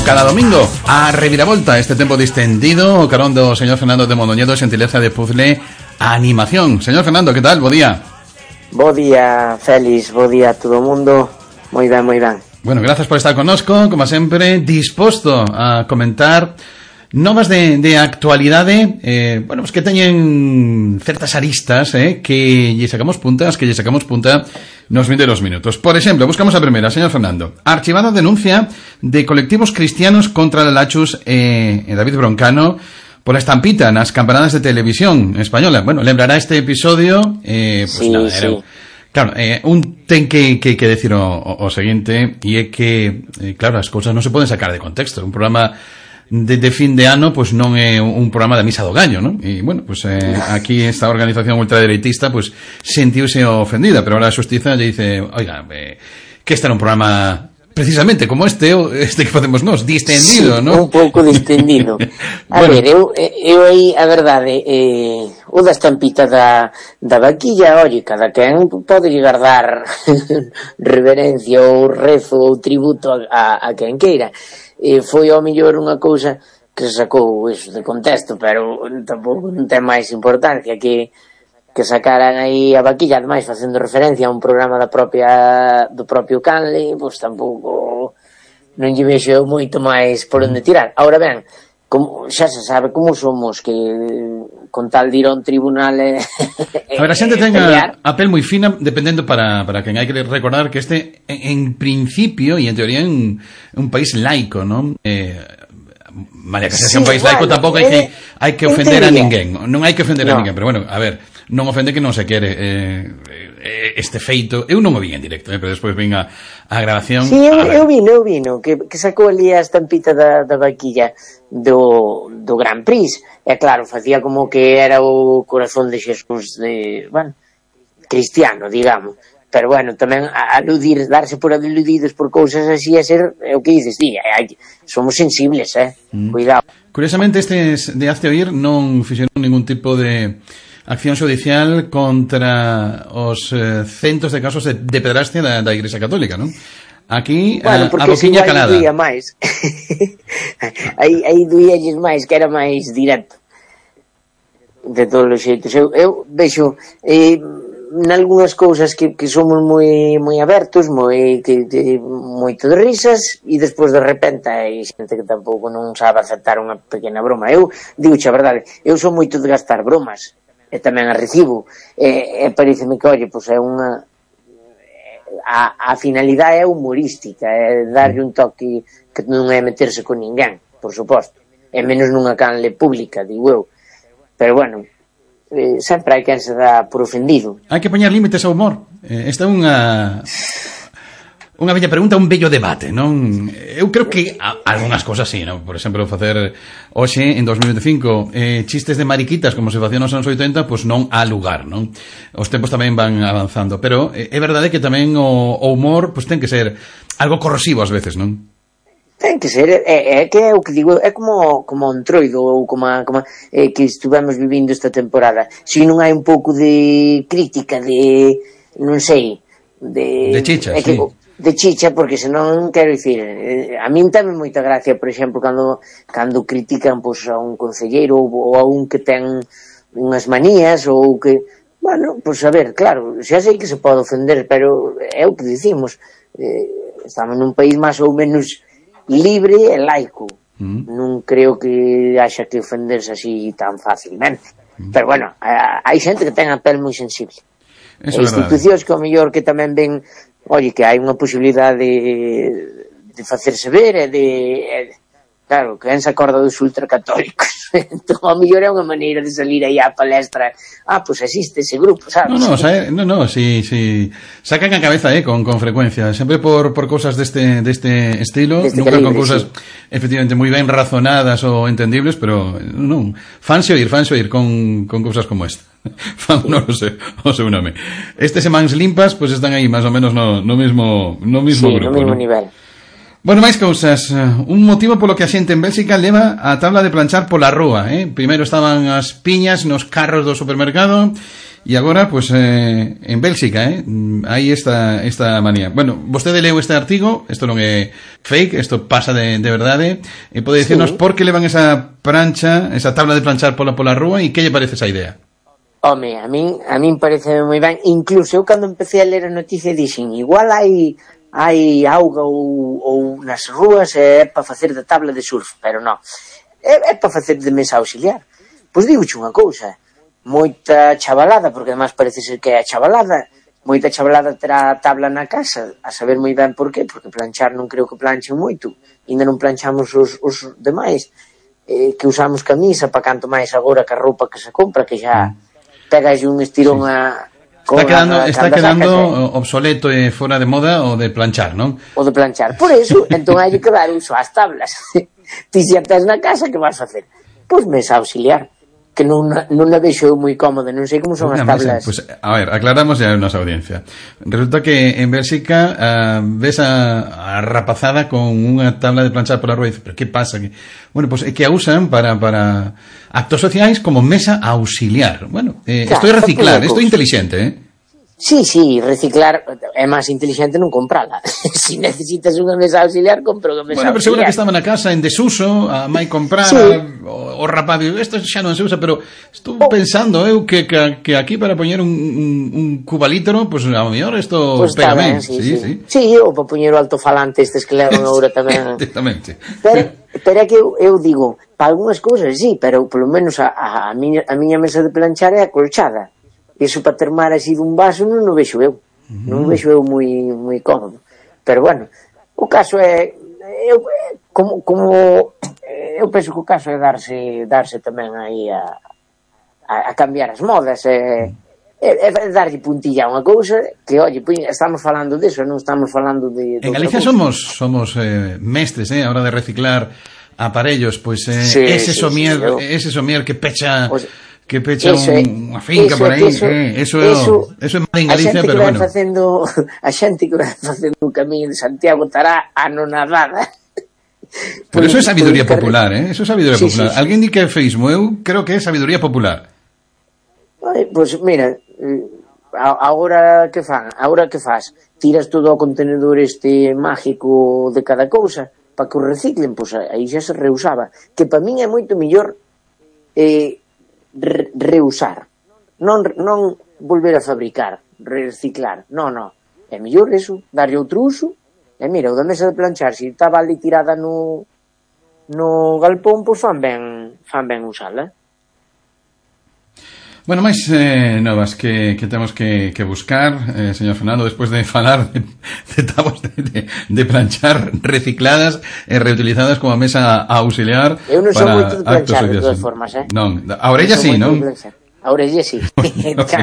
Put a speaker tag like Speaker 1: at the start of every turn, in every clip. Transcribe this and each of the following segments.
Speaker 1: cada domingo a reviravolta este tempo distendido o carón do señor Fernando de Mondoñedo, xentileza de puzzle animación. Señor Fernando, que tal? Bo día.
Speaker 2: Bo día, Félix, bo día a todo o mundo. Moi ben, moi ben.
Speaker 1: Bueno, gracias por estar connosco, como sempre, disposto a comentar novas de actualidade, bueno, pues que teñen certas aristas, que lle sacamos punta nos 22 minutos. Por exemplo, buscamos a primeira, señor Fernando. Archivada denuncia de colectivos cristianos contra la Lachus David Broncano por a estampita nas campanadas de televisión española. Bueno, lembrará este episodio, pues sí, nada, era... Sí. Claro, un ten que decir o seguinte, e é que, claro, as cousas non se poden sacar de contexto. Un programa de fin de ano, pues non é un programa da misa do gallo, ¿no? E, bueno, pues aquí esta organización ultradereitista, pues sentiuse ofendida, pero ahora a xustiza lle dice, oiga, que este era un programa precisamente como este que facemos nós, distendido,
Speaker 2: sí,
Speaker 1: ¿no?
Speaker 2: Un pouco distendido. A bueno, ver, eu aí, a verdade, o da estampita da vaquilla, oye, cada quen pode llegar dar reverencia ou rezo ou tributo a quen queira. Foi ao mellor unha cousa que se sacou eso de contexto, pero tampouco non ten máis importancia que sacaran aí a vaquilla, ademais facendo referencia a un programa do propio Canle, pois tampouco non lle vexo moito máis por onde tirar. Ahora ben, como xa se sabe como somos, que con tal de ir a un tribunal
Speaker 1: a ver, a xente ten a pel moi fina dependendo para quen. Hai que recordar que este en principio e en teoría en un país laico, non? Malia que sea un país laico, tampouco hai que ofender a ninguén. Non hai que ofender a ninguén, pero bueno, a ver, non ofende que non se quere este feito. Eu non o vi en directo, pero despois vin a grabación.
Speaker 2: Sí, eu vino que sacou ali a estampita da vaquilla do Gran Prix. E claro, facía como que era o corazón de Xesús cristiano, digamos. Pero bueno, tamén darse por aludidos por cousas así é ser, o que dices, somos sensibles, cuidado.
Speaker 1: Curiosamente, estes de Hazte Oír non fixeron ningún tipo de acción judicial contra os centos de casos de pedrastia da Igrexa Católica, non? Aquí, a boquiña calada.
Speaker 2: Aí duía máis. aí duíalles máis, que era máis directo. De todos os xeitos. Eu vexo nalgúnas cousas que somos moi abertos, moito de risas, e despois de repente hai xente que tampouco non sabe aceptar unha pequena broma. Eu digo a verdade, eu sou moito de gastar bromas, e tamén a recibo, e pareceme que, oye, pois é unha... A finalidade é humorística, é darlle un toque que non é meterse con ninguén, por suposto, e menos nunha canle pública, digo eu. Pero bueno, sempre hai quen se dá por ofendido.
Speaker 1: Hai que poñer límites ao humor. Esta é unha bella pregunta, un bello debate, non? Eu creo que algunhas cosas sí, non? Por exemplo, facer hoxe, en 2025, chistes de mariquitas como se facían nos anos 80, pois non há lugar, non? Os tempos tamén van avanzando, pero é verdade que tamén o humor pois ten que ser algo corrosivo ás veces, non?
Speaker 2: Ten que ser, é que é o que digo, é como o Entroido ou como que estivemos vivindo esta temporada. Se non hai un pouco de crítica, de non sei,
Speaker 1: de chicha, sí.
Speaker 2: De chicha, porque senón, quero dicir, a min tamén moita gracia, por exemplo, cando critican pois a un concelleiro ou a un que ten unhas manías ou que, bueno, pois a ver, claro, xa sei que se pode ofender, pero é o que dicimos, estamos nun país máis ou menos libre e laico. Non creo que haxa que ofenderse así tan facilmente, pero bueno, hai xente que ten a pel moi sensible. E institucións que ao mellor que tamén ven, oye, que hai unha posibilidade de facerse ver e de... Claro, que se acorda dos ultracatólicos. Entón, ao mellor é unha maneira de salir aí á palestra. Pois existe ese grupo, sabes?
Speaker 1: No, sí. Sacan a cabeza, con frecuencia. Sempre por cousas deste estilo. Nunca con cousas, efectivamente, moi ben razonadas ou entendibles, pero non. Fanse oír con cousas como esta. Non sei o seu nome. Estes Semans Limpas, pois están aí máis ou menos no mismo grupo.
Speaker 2: Sí, no mismo nivel.
Speaker 1: Bueno, máis cousas. Un motivo polo que a xente en Bélxica leva a tabla de planchar pola rúa, Primeiro estaban as piñas nos carros do supermercado E agora, pues, en Bélxica, hai esta manía. Bueno, vostede leu este artigo, isto non é fake, isto pasa de verdade, e pode dicirnos por que levan esa plancha, esa tabla de planchar pola rúa, e que lle parece esa idea?
Speaker 2: Home, a min parece moi ben. Incluso eu cando empecé a ler a noticia dixen, igual hai auga ou nas rúas é para facer de tabla de surf, pero non, é para facer de mesa auxiliar. Pois digoche unha cousa, moita chavalada, porque además parece ser que é a chavalada, moita chavalada terá a tabla na casa, a saber moi ben por qué, porque planchar non creo que planchen moito, ainda non planchamos os demais, que usamos camisa, para canto máis agora que a roupa que se compra, que xa pegas un estirón a...
Speaker 1: Está quedando obsoleto e fora de moda o de planchar, non?
Speaker 2: O de planchar, por eso, entón hai que dar uso ás tablas. Ti xa tes na casa, que vas facer? Pois mesa auxiliar, que non a vexo moi cómoda, non sei como son as tablas.
Speaker 1: Pues, a ver, aclaramos ya a nosa audiencia. Resulta que en Bélxica ves a rapazada con unha tabla de planchar pola rúa e dices, pero que pasa? Bueno, pues é que a usan para actos sociais como mesa auxiliar. Bueno, isto é reciclar, isto é inteligente,
Speaker 2: Sí, reciclar é máis inteligente non comprala. Se necesitas unha mesa auxiliar, compra unha mesa auxiliar.
Speaker 1: Bueno, pero seguro que estaba na casa en desuso, a mai comprar, o rapaz, isto xa non se usa, pero estou pensando eu que aquí para poñer un cubalitro, pues a lo mellor isto pega ben.
Speaker 2: Sí, ou para poñer o altofalante estes que levan agora tamén.
Speaker 1: Exactamente.
Speaker 2: Pero é que eu digo, para algunhas cousas sí, pero polo menos a miña mesa de planchar é acolchada. Iso para termar así dun vaso non o vexo eu. Non o vexo eu moi cómodo. Pero bueno, o caso é como eu penso que o caso é darse tamén aí a cambiar as modas, é darlle puntilla a unha cousa que, oye, estamos falando diso, non estamos falando de
Speaker 1: en Galicia somos mestres, a hora de reciclar aparellos, pois ese somier que pecha unha finca por aí, eso é mal en Galicia, pero bueno.
Speaker 2: A xente que vai facendo o camiño de Santiago estará anonadada.
Speaker 1: Pero eso é sabiduría popular, eso é sabiduría popular. Alguén di que é feísmo, eu creo que é sabiduría popular.
Speaker 2: Pois mira, agora que faz? Tiras todo o contenedor este mágico de cada cousa para que o reciclen, pois aí xa se reusaba, que para min é moito mellor reusar, non volver a fabricar, reciclar, non, é mellor eso, darlle outro uso. E mira, o da mesa de planchar, se estaba ali tirada no galpón, pois fan ben usala.
Speaker 1: Bueno, máis novas que temos que buscar, señor Fernando, despois de falar de tabas de planchar recicladas e reutilizadas como mesa auxiliar.
Speaker 2: Eu non son moito de planchar, de todas formas,
Speaker 1: Non, a orella sí, non?
Speaker 2: A orella sí,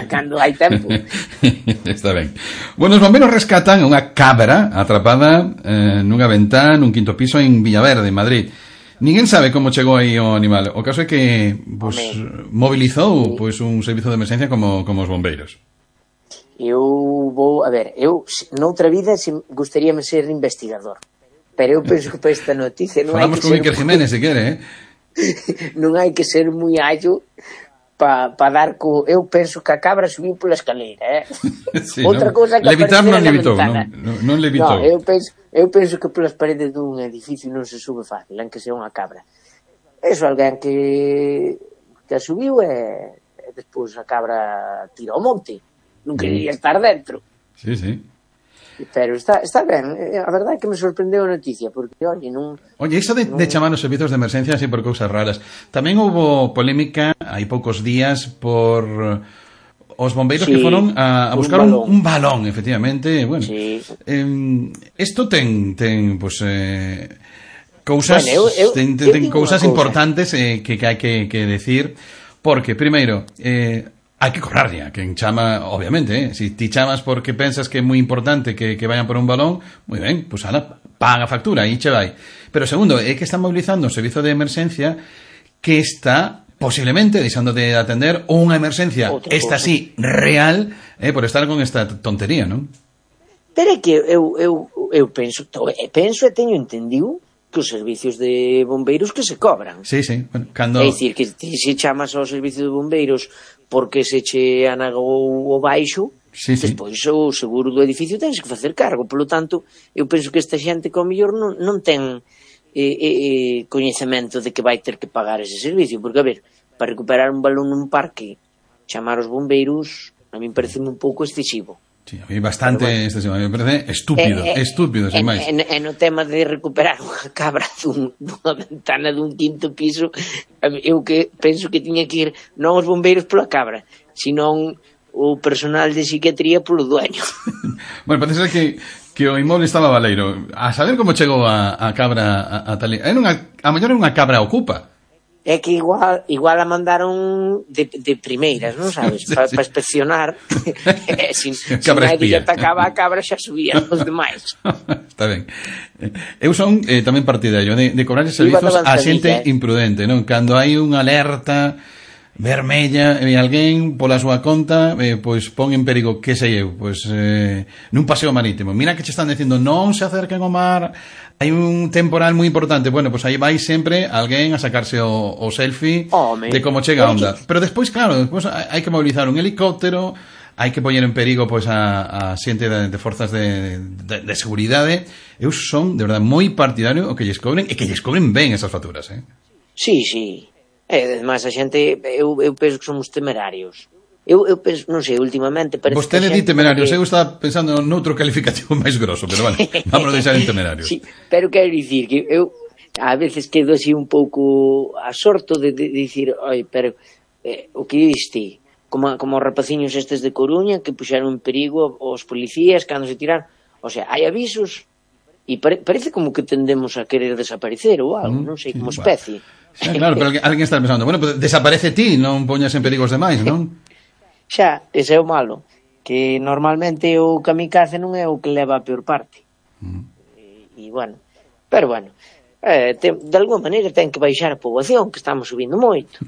Speaker 2: cando hai tempo.
Speaker 1: Está ben. Bueno, os bombeiros rescatan unha cabra atrapada nunha ventá nun quinto piso en Villaverde, en Madrid. Ninguén sabe como chegou aí o animal. O caso é que mobilizou un servizo de emergencia como os bombeiros.
Speaker 2: Eu noutra vida gustaríame ser investigador, pero eu penso que para esta noticia non
Speaker 1: falamos con Iker Jiménez, se quere,
Speaker 2: non hai que ser moi allo para dar eu penso que a cabra subiu pola escaleira,
Speaker 1: Sí, outra cousa que levitar non levitou, non levitou.
Speaker 2: Eu penso que polas paredes dun edificio non se sube fácil, en que sea unha cabra. Eso, alguén que a subiu e despois a cabra tira ao monte. Non quería estar dentro.
Speaker 1: Sí.
Speaker 2: Pero está ben, a verdade é que me sorprendeu a noticia, porque,
Speaker 1: Oye, iso de chamar os servizos de emergencia así por cousas raras. Tamén houve polémica hai poucos días por os bombeiros que foron a buscar un balón, efectivamente. Bueno, isto ten pues, cousas, ten cousas importantes que hai que decir, porque, primeiro, hai que correrlle a quen chama, obviamente, si ti chamas porque pensas que é moi importante que vayan por un balón, moi ben, pues paga a factura, aí che vai. Pero segundo, é que están mobilizando o servizo de emerxencia que está posiblemente deixando de atender unha emerxencia, esta sí, real, por estar con esta tontería, non?
Speaker 2: Pero é que eu penso e teño entendido os servicios de bombeiros que se cobran.
Speaker 1: Sí, sí. Bueno, cando...
Speaker 2: É dicir, que se chamas ao servicio de bombeiros porque se che anagou o baixo,
Speaker 1: sí.
Speaker 2: Despois o seguro do edificio tens que facer cargo. Polo tanto, eu penso que esta xente que ao mellor non ten coñecemento de que vai ter que pagar ese servicio, porque, a ver, para recuperar un balón nun parque, chamar os bombeiros, a mí parece un pouco excesivo.
Speaker 1: Sí, a mí bastante excesivo, a mí me parece estúpido, sin máis.
Speaker 2: E no tema de recuperar unha cabra dunha ventana dun quinto piso, eu que penso que tiña que ir non os bombeiros pola cabra, senón o personal de psiquiatría polo dueño.
Speaker 1: Bueno, parece que o inmoble estaba baleiro. A saber como chegou a cabra a tal... A mellor é unha cabra ocupa.
Speaker 2: É que igual a mandaron de primeiras, non sabes?
Speaker 1: Sí,
Speaker 2: Para inspeccionar. Se nadie atacaba a cabra, xa subían os demais.
Speaker 1: Está ben. Eu son tamén partidario de cobrar servizos a xente imprudente, non? Cando hai unha alerta vermella e alguén pola súa conta pois pon en perigo, que sei eu, pois nun paseo marítimo. Mira que che están dicindo non se acerquen ao mar, hai un temporal moi importante. Bueno, pois aí vai sempre alguén a sacarse o selfie de como chega a onda. Pero despois, claro, despois hai que mobilizar un helicóptero, hai que poñer en perigo pois a xente de forzas de seguridade. Eu son, de verdade, moi partidario o que lles cobren, e que lles cobren ben esas facturas,
Speaker 2: Sí. Además, a xente, eu penso que somos temerarios. Eu penso, non sei, últimamente parece que
Speaker 1: vostede di temerarios, eu estaba pensando noutro calificativo máis grosso, pero vale, vamos a deixar en temerarios.
Speaker 2: Sí, pero quero dicir que eu a veces quedo así un pouco asorto de dicir, oi, pero o que diste, como os rapaciños estes de Coruña que puxeron en perigo os policías cando se tiraron, o sea, hai avisos e parece como que tendemos a querer desaparecer ou algo, non sei, como especie.
Speaker 1: Sí, claro, pero alguén está pensando, bueno, pues desaparece ti, non poñas en perigo os demais, non?
Speaker 2: Xa, ese é o malo, que normalmente o kamikaze non é o que leva a peor parte. E bueno, pero bueno, de alguma maneira ten que baixar a poboación, que estamos subindo moito.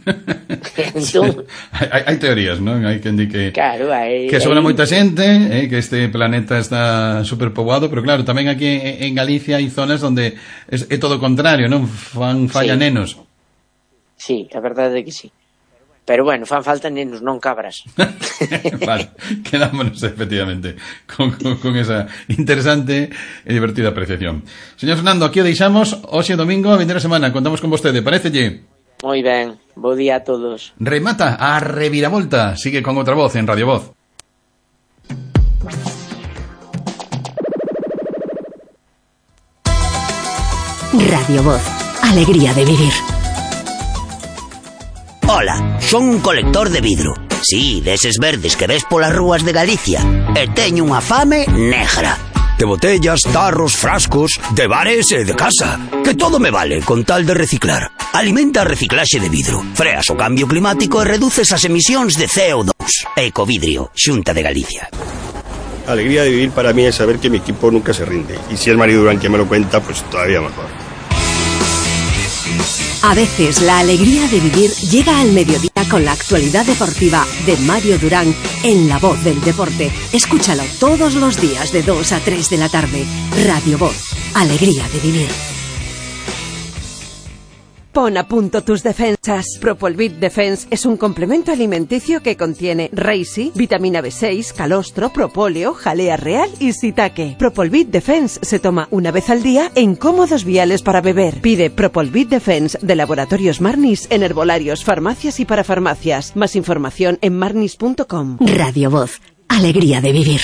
Speaker 2: Entón,
Speaker 1: hai teorías, non? Hai quen di que
Speaker 2: claro,
Speaker 1: que sobra moita xente, que este planeta está superpoboado, pero claro, tamén aquí en Galicia hai zonas onde é todo o contrario, non? Falla nenos.
Speaker 2: Sí, a verdade é que sí. Pero bueno, fan falta nenos, non cabras.
Speaker 1: Vale, quedámonos efectivamente con esa interesante e divertida apreciación. Señor Fernando, aquí o deixamos. Hoxe domingo, a vindeira semana, contamos con vostede, parécelle?
Speaker 2: Moi ben, bo día a todos.
Speaker 1: Remata a reviravolta, sigue con outra voz en Radio Voz.
Speaker 3: Radio Voz, alegría de vivir.
Speaker 4: Ola, son un colector de vidro. Sí, deses verdes que ves polas rúas de Galicia. E teño unha fame negra. De botellas, tarros, frascos, de bares e de casa. Que todo me vale con tal de reciclar. Alimenta a reciclaxe de vidro. Freas o cambio climático e reduces as emisións de CO2. Ecovidrio, Xunta de Galicia.
Speaker 5: Alegría de vivir para mí es saber que mi equipo nunca se rinde. Y si es Mario Durán quien me lo cuenta, pues todavía mejor.
Speaker 3: A veces la alegría de vivir llega al mediodía con la actualidad deportiva de Mario Durán en La Voz del Deporte. Escúchalo todos los días de 2 a 3 de la tarde. Radio Voz, alegría de vivir.
Speaker 6: Pon a punto tus defensas. Propolvit Defense es un complemento alimenticio que contiene reishi, vitamina B6, calostro, propóleo, jalea real y shiitake. Propolvit Defense se toma una vez al día en cómodos viales para beber. Pide Propolvit Defense de Laboratorios Marnis en herbolarios, farmacias y parafarmacias. Más información en marnis.com.
Speaker 3: Radio Voz, alegría de vivir.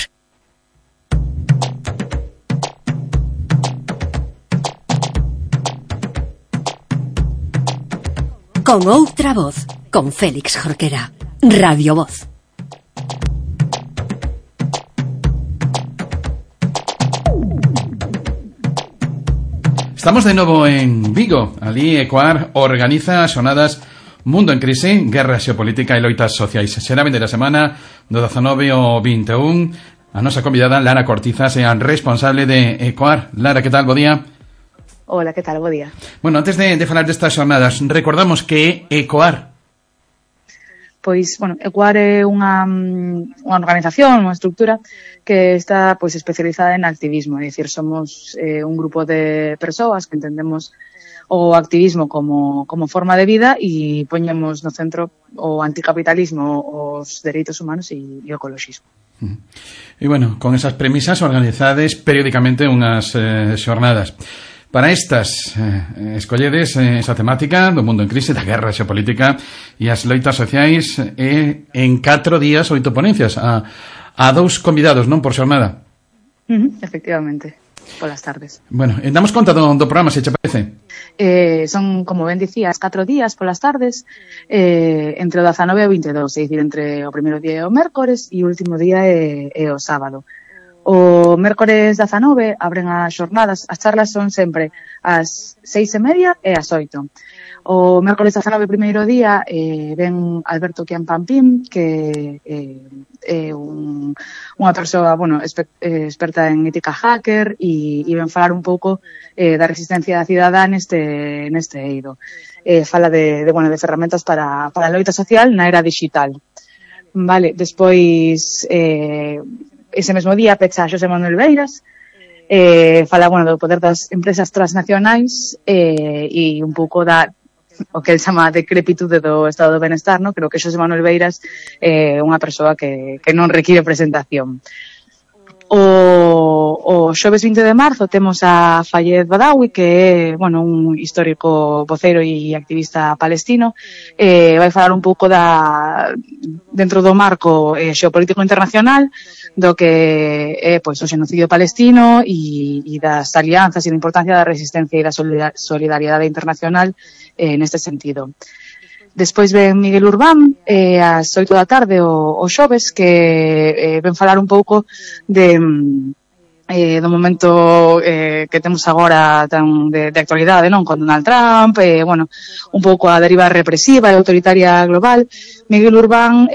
Speaker 3: Con outra voz, con Félix Jorquera. Radio Voz.
Speaker 1: Estamos de novo en Vigo. Ali Ecoar organiza as xornadas Mundo en Crise, Guerra Xeopolítica e Loitas Sociais. Será vindeira semana do 19 ao 21. A nosa convidada, Lara Cortizas, é a responsable de Ecoar. Lara, que tal? Bo día.
Speaker 7: Hola, que tal? Bo día.
Speaker 1: Bueno, antes de falar destas xornadas, recordamos que é Ecoar.
Speaker 7: Pois, bueno, Ecuar é unha organización, unha estructura que está pois especializada en activismo, é dicir, somos un grupo de persoas que entendemos o activismo como forma de vida e poñemos no centro o anticapitalismo, os dereitos humanos e o ecoloxismo.
Speaker 1: E, bueno, con esas premisas organizades periódicamente unhas xornadas. Para estas, escolledes esa temática do mundo en crise, da guerra xeopolítica e as loitas sociais en 4 días, 8 ponencias a 2 convidados, non, por xornada.
Speaker 7: Efectivamente, polas tardes.
Speaker 1: Bueno, damos conta do programa, se che parece.
Speaker 7: Son, como ben dicías, 4 días polas tardes, entre o 19 e o 22, é dicir, entre o primeiro día e o mércores e o último día é o sábado. O mércores 19 abren as xornadas, as charlas son sempre ás 6:30 e ás 8. O mércores 19, primeiro día, ven Alberto Quiampampín, que é unha persoa, bueno, experta en ética hacker e ven falar un pouco da resistencia da cidadá neste eido. Fala de ferramentas para a loita social na era digital. Vale, despois ese mesmo día pecha Xosé Manuel Beiras, fala, do poder das empresas transnacionais e un pouco o que el chama decrepitude do estado do benestar, no? Creo que Xosé Manuel Beiras é unha persoa que non require presentación. O xoves 20 de marzo temos a Fayez Badawi, que é, un histórico voceiro e activista palestino. Vai falar un pouco dentro do marco xeopolítico internacional do que é o xenocidio palestino e das alianzas e da importancia da resistencia e da solidariedade internacional neste sentido. Despois ven Miguel Urbán ás 8 da tarde o xoves, que ven falar un pouco do momento que temos agora tan de actualidade, non, con Donald Trump, un pouco a deriva represiva e autoritaria global. Miguel Urbán,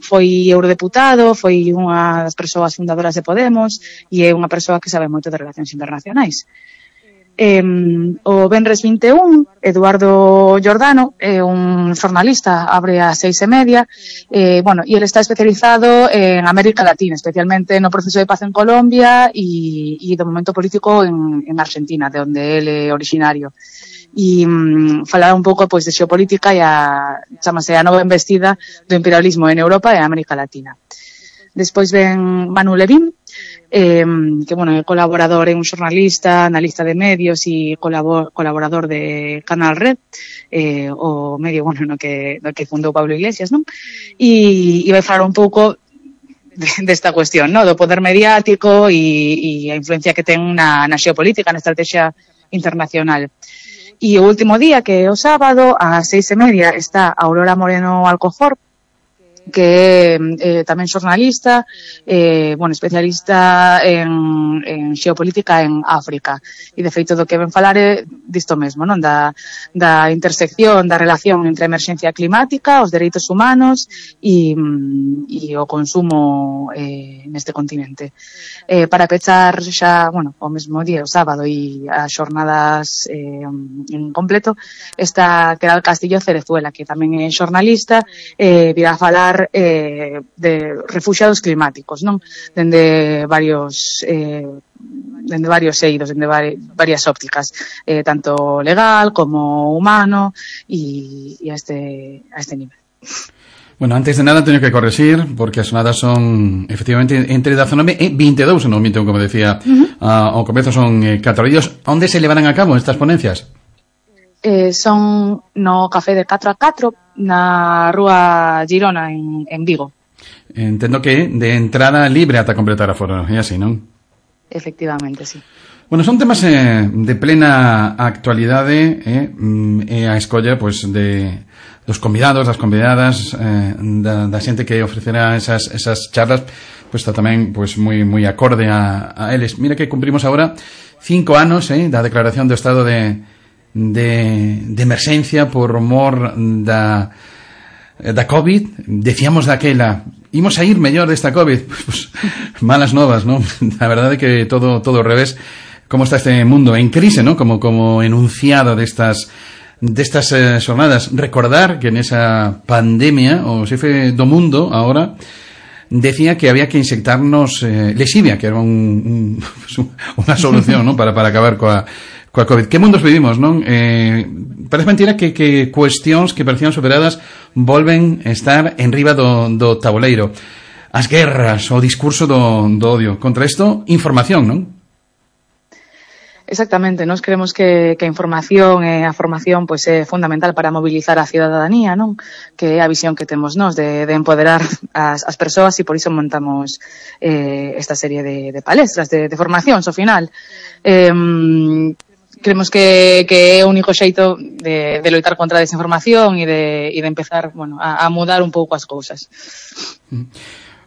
Speaker 7: foi eurodeputado, foi unha das persoas fundadoras de Podemos e é unha persoa que sabe moito de relacións internacionais. O venres 21, Eduardo Giordano é un xornalista, abre ás 6:30, e ele está especializado en América Latina, especialmente no proceso de paz en Colombia e do momento político en Argentina, de onde ele é originario. E falar un pouco de xeopolítica e chamase a nova embestida do imperialismo en Europa e América Latina. Despois ven Manu Levin, que é colaborador, é un xornalista, analista de medios e colaborador de Canal Red, o medio no que fundou Pablo Iglesias, non? E vai falar un pouco desta cuestión, no, do poder mediático e a influencia que ten na xeopolítica, na estrategia internacional. E o último día, que é o sábado, ás 6:30, está Aurora Moreno Alcofor, que é tamén xornalista, especialista en xeopolítica en África. E, de feito, do que ven falar é disto mesmo, non? Da intersección, da relación entre a emerxencia climática, os dereitos humanos e o consumo neste continente. Para pechar xa, o mesmo día, o sábado, e as xornadas en completo, está Queral Castillo Cerezuela, que tamén é xornalista, virá a falar de refuxiados climáticos, non? Dende varios eidos, dende varias ópticas, tanto legal como humano e a este nivel.
Speaker 1: Bueno, antes de nada teño que corregir, porque as xornadas son efectivamente entre 19 e 22, non minto, como decía ao comezo, son 4 días. Onde se levarán a cabo estas ponencias?
Speaker 7: Son no Café de 4 a 4 na Rúa Girona en Vigo.
Speaker 1: Entendo que de entrada libre ata completar a foro, é así, non?
Speaker 7: Efectivamente, sí.
Speaker 1: Bueno, son temas de plena actualidade e a escolla dos convidados, das convidadas, da xente que ofrecerá esas charlas, está tamén moi acorde a eles. Mira que cumprimos agora 5 anos da declaración do estado de emerxencia por mor da COVID. Decíamos daquela, imos a ir mellor desta COVID. Malas novas, non? A verdade é que todo ao revés. Como está este mundo en crise, non? Como enunciado destas destas xornadas. Recordar que nesa pandemia o xefe do mundo agora decía que había que inyectarnos lexivia, que era unha solución, ¿no? para acabar coa COVID. Que mundos vivimos, non? Parece mentira que cuestións que parecían superadas volven estar en riba do tabuleiro. As guerras, o discurso do odio. Contra isto, información, non?
Speaker 7: Exactamente, nós creemos que a información e a formación pois é fundamental para mobilizar a cidadanía, non? Que é a visión que temos nós de empoderar as persoas e por iso montamos esta serie de palestras de formación, ao final. Creemos que é o único xeito de loitar contra a desinformación e de empezar, bueno, a mudar un pouco as cousas.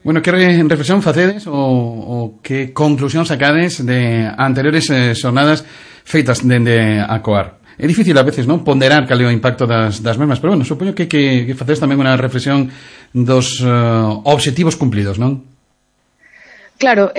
Speaker 1: Bueno, que reflexión facedes ou que conclusión sacades de anteriores xornadas feitas dende a COAR? É difícil a veces, non, ponderar cal é o impacto das mesmas, pero bueno, supoño que facedes tamén unha reflexión dos obxectivos cumplidos, non?
Speaker 7: Claro,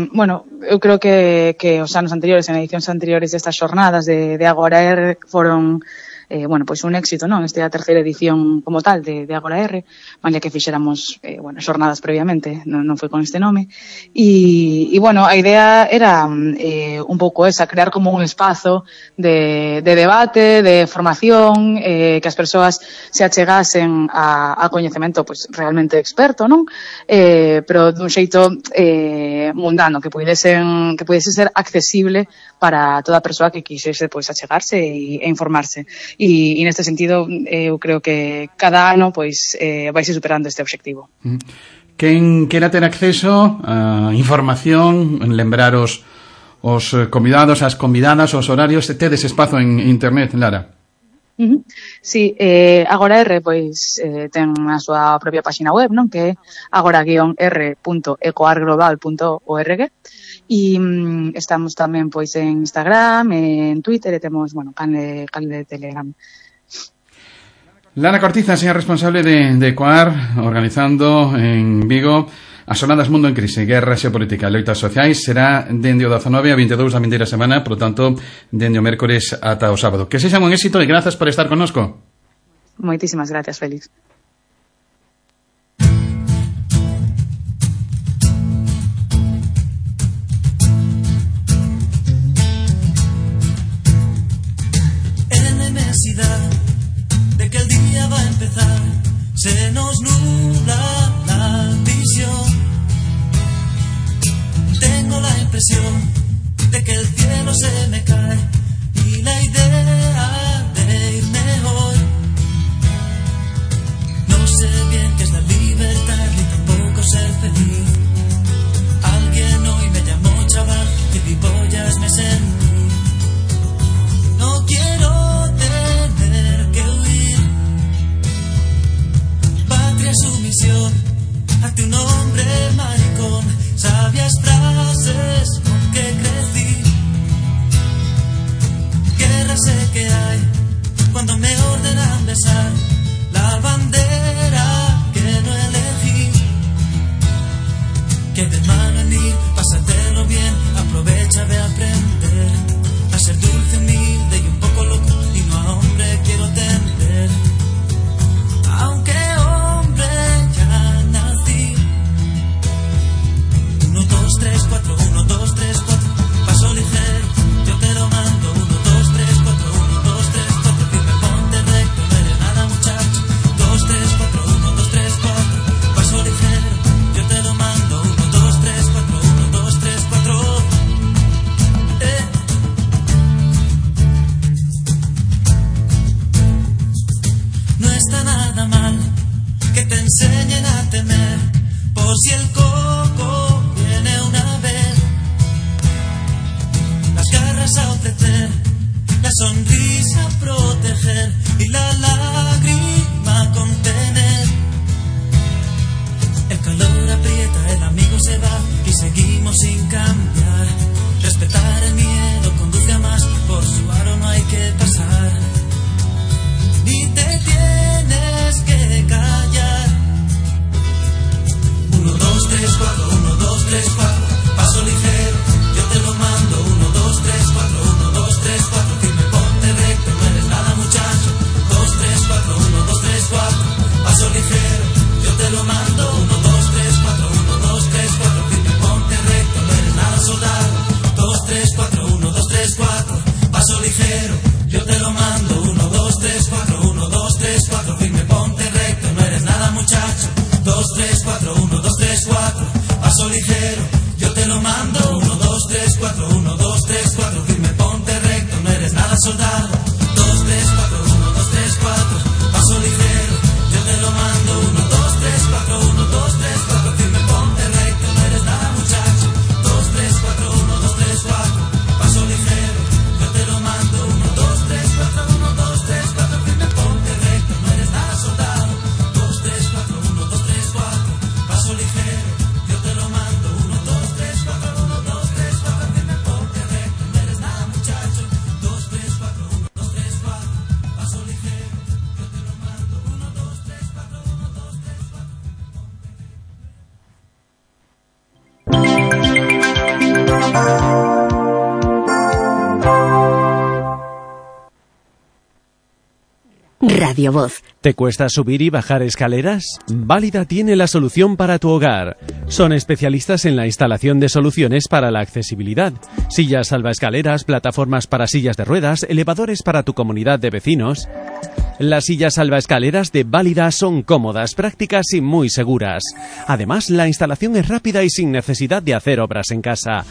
Speaker 7: bueno, eu creo que os anos anteriores, en edicións anteriores destas xornadas de Agora R foron bueno, pois un éxito, non? Esta é a terceira edición como tal de Agora R, malia que fixéramos, bueno, xornadas previamente, non foi con este nome, e bueno, a idea era un pouco esa, crear como un espazo de debate, de formación, que as persoas se achegasen a coñecemento, pois, realmente experto, non? Pero dun xeito mundano, que pudese ser accesible para toda persoa que quixese, pois, achegarse e informarse. E neste sentido eu creo que cada ano pois vaise superando este obxectivo.
Speaker 1: Quen quera ter acceso a información, lembrar os convidados, as convidadas, os horarios, tedes espazo en internet, Lara?
Speaker 7: Sí, Agora R pois ten a súa propia página web, non? Que é agora-r.ecoarglobal.org. E estamos tamén pois en Instagram, en Twitter, e temos, bueno, canle de Telegram.
Speaker 1: Lara Cortiza, señora responsable de COAR, organizando en Vigo as xornadas Mundo en Crise, Guerra Xeopolítica e Loitas Sociais. Será dende o 19 a 22 da vindeira semana, por lo tanto, dende o mércores ata o sábado. Que sexan un éxito e grazas por estar connosco.
Speaker 7: Moitísimas gracias, Félix.
Speaker 8: De que el día va a empezar, se nos nubla la visión. Tengo la impresión de que el cielo se me cae y la idea de irme hoy. No sé bien qué es la libertad ni tampoco ser feliz. Alguien hoy me llamó chaval, gilipollas me sentí. No quiero tener que huir. Patria sumisión ante un hombre maricón. Sabias frases con que crecí. Guerra sé que hay cuando me ordenan besar la bandera que no elegí. Que de mano en ir, pásatelo bien, aprovecha de aprender a ser dulce, humilde y un poco loco, y no a hombre quiero tender. Aunque hombre ya nací. 1, 2, 3, 4, 1, 2, 3, 4, paso ligero, yo te lo mando. 1, 2, 3, 4, 1, 2, 3, 4, firme, ponte recto, no eres nada muchacho. 2, 3, 4, 1, 2, 3, 4, paso ligero, yo te lo mando. 1, 2, 3, 4, 1, 2, 3, 4. No está nada mal que te enseñen a temer, por si el coco viene una vez. Las garras a ofrecer, la sonrisa a proteger y la lágrima contener. El calor aprieta, el amigo se va y seguimos sin cambiar. Respetar el miedo conduce a más, por su aro no hay que pasar. Ni te tienes que callar. 1, 2, 3, 4, 1, 2, 3, 4, paso ligero, yo te lo mando. 1, 2, 3, 4, 1, 2, 3, 4, firme, ponte recto, no eres nada muchacho. 4, 1, 2, 3, 4. Paso ligero, yo te lo mando. 1, 2, 3, 4, 1, 2, 3, 4. Firme, ponte recto, no eres nada soldado. 2, 3, 4, 1, 2, 3, 4. Paso ligero, yo te lo mando. 1, 2, 3, 4, 1, 2, 3, 4. Firme, ponte recto, no eres nada muchacho. 2, 3, 4, 1, 2, 3, 4. Paso ligero, yo te lo mando. 1, 2, 3, 4, 1, 2, 3, 4. Firme, ponte recto, no eres nada soldado. 2, 3, 4, 1, 2, 3, 4. Paso ligero, yo te lo mando. 1, 2, 3, 4, 1, 2, 3, 4. Firme, ponte recto, no eres nada muchacho. 2, 3, 4, 1, 2, 3, 4. Paso ligero, yo te lo mando. 1, 2, 3, 4, 1, 2, 3, 4.
Speaker 3: Radio Voz.
Speaker 9: ¿Te cuesta subir y bajar escaleras? Válida tiene la solución para tu hogar. Son especialistas en la instalación de soluciones para la accesibilidad. Sillas salvaescaleras, plataformas para sillas de ruedas, elevadores para tu comunidad de vecinos. Las sillas salvaescaleras de Válida son cómodas, prácticas y muy seguras. Además, la instalación es rápida y sin necesidad de hacer obras en casa.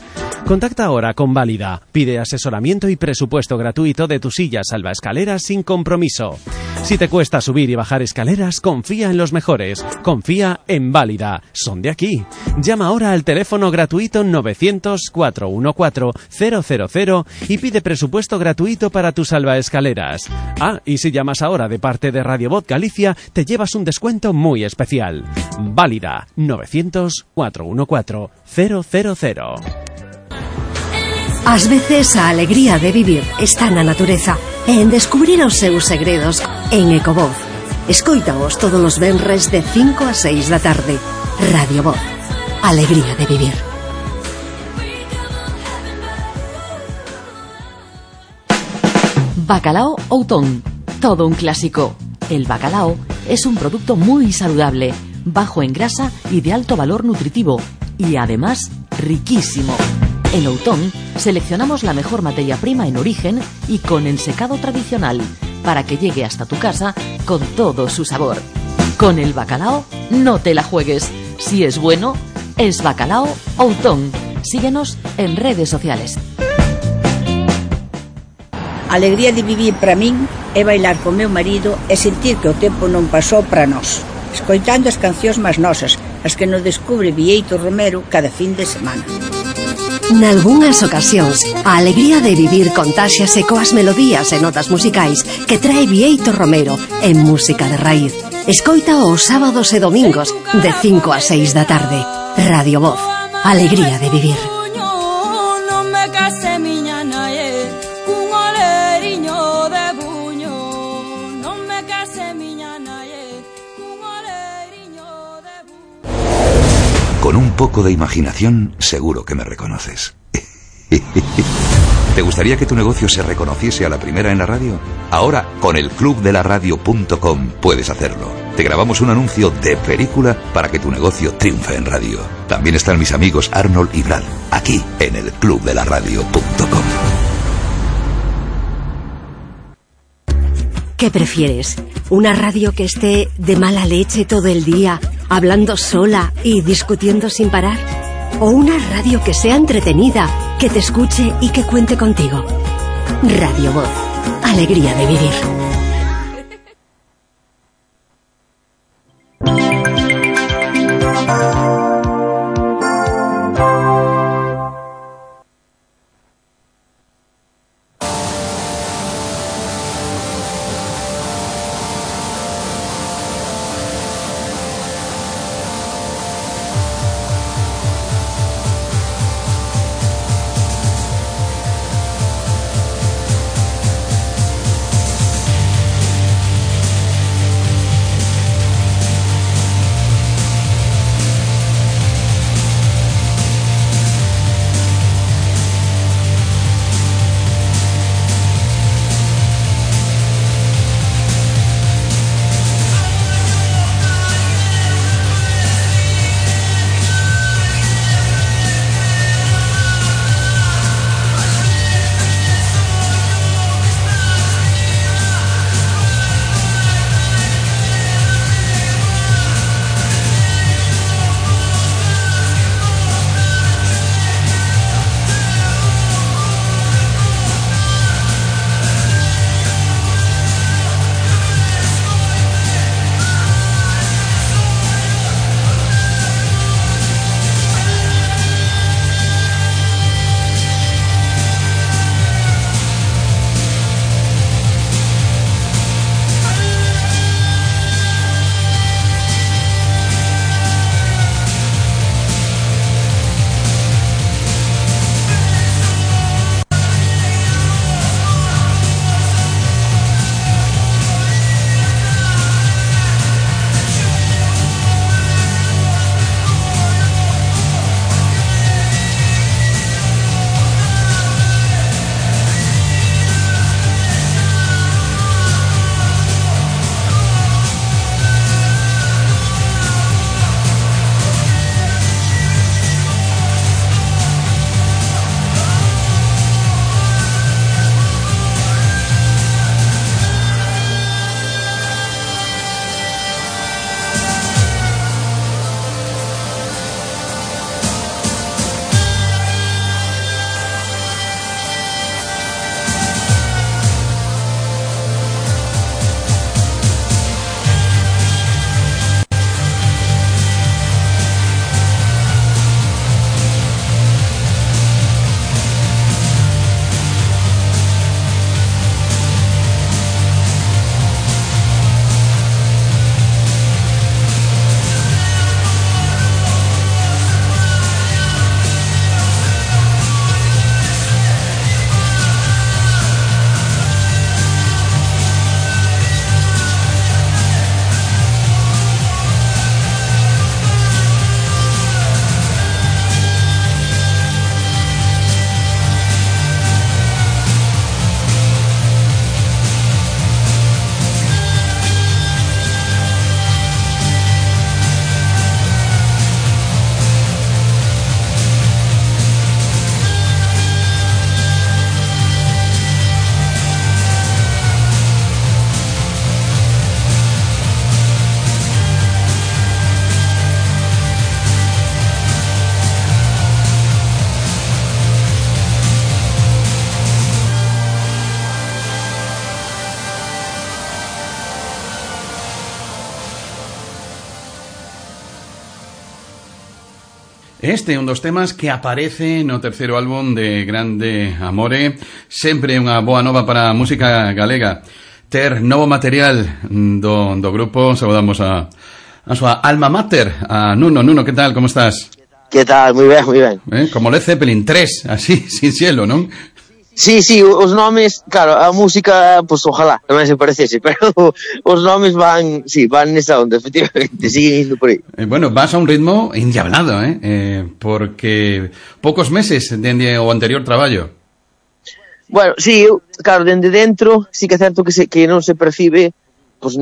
Speaker 9: Contacta ahora con Válida. Pide asesoramiento y presupuesto gratuito de tu silla salvaescaleras sin compromiso. Si te cuesta subir y bajar escaleras, confía en los mejores. Confía en Válida. Son de aquí. Llama ahora al teléfono gratuito 900-414-000 y pide presupuesto gratuito para tus salvaescaleras. Ah, y si llamas ahora de parte de Radio Voz Galicia, te llevas un descuento muy especial. Válida 900-414-000.
Speaker 3: Ás veces a alegría de vivir está na natureza e en descubrir os seus segredos en Ecovoz. Escoítaos todos os venres de 5 a 6 da tarde. Radio Voz. Alegría de vivir.
Speaker 10: Bacalao Outón. Todo un clásico. El bacalao es un producto muy saludable, bajo en grasa y de alto valor nutritivo, y además riquísimo. En Outón seleccionamos la mejor materia prima en origen y con ensecado tradicional para que llegue hasta tu casa con todo su sabor. Con el bacalao no te la juegues. Si es bueno, es Bacalao Outón. Síguenos en redes sociales.
Speaker 11: A alegría de vivir para min é bailar con meu marido e sentir que o tempo non pasou para nós, escoitando as cancións máis nosas, as que nos descubre Bieito Romero cada fin de semana.
Speaker 3: Nalgúnas ocasións, a alegría de vivir contáxiase coas melodías e notas musicais que trae Bieito Romero en Música de Raíz. Escoita os sábados e domingos de 5 a 6 da tarde. Radio Voz. Alegría de vivir.
Speaker 12: Con un poco de imaginación, seguro que me reconoces. ¿Te gustaría que tu negocio se reconociese a la primera en la radio? Ahora, con el clubdelaradio.com puedes hacerlo. Te grabamos un anuncio de película para que tu negocio triunfe en radio. También están mis amigos Arnold y Brad, aquí en el clubdelaradio.com.
Speaker 3: ¿Qué prefieres? ¿Una radio que esté de mala leche todo el día, hablando sola y discutiendo sin parar? ¿O una radio que sea entretenida, que te escuche y que cuente contigo? Radio Voz. Alegría de vivir.
Speaker 1: Este é un dos temas que aparece no terceiro álbum de Grande Amore. Sempre unha boa nova para a música galega. Ter novo material do grupo. Saudamos a súa alma mater, a Nuno. Nuno, que tal? Como estás?
Speaker 13: Que tal? Moi ben, moi ben.
Speaker 1: Como Led Zeppelin 3, así, sin cielo, non?
Speaker 13: Sí, os nomes, claro, a música, pues ojalá, tamén se parecese, pero os nomes van nesa onda, efectivamente, siguen indo por aí.
Speaker 1: Bueno, vas a un ritmo endiablado, porque poucos meses dende o anterior traballo.
Speaker 13: Bueno, sí, claro, dende dentro, sí que é certo que non se percibe, pues,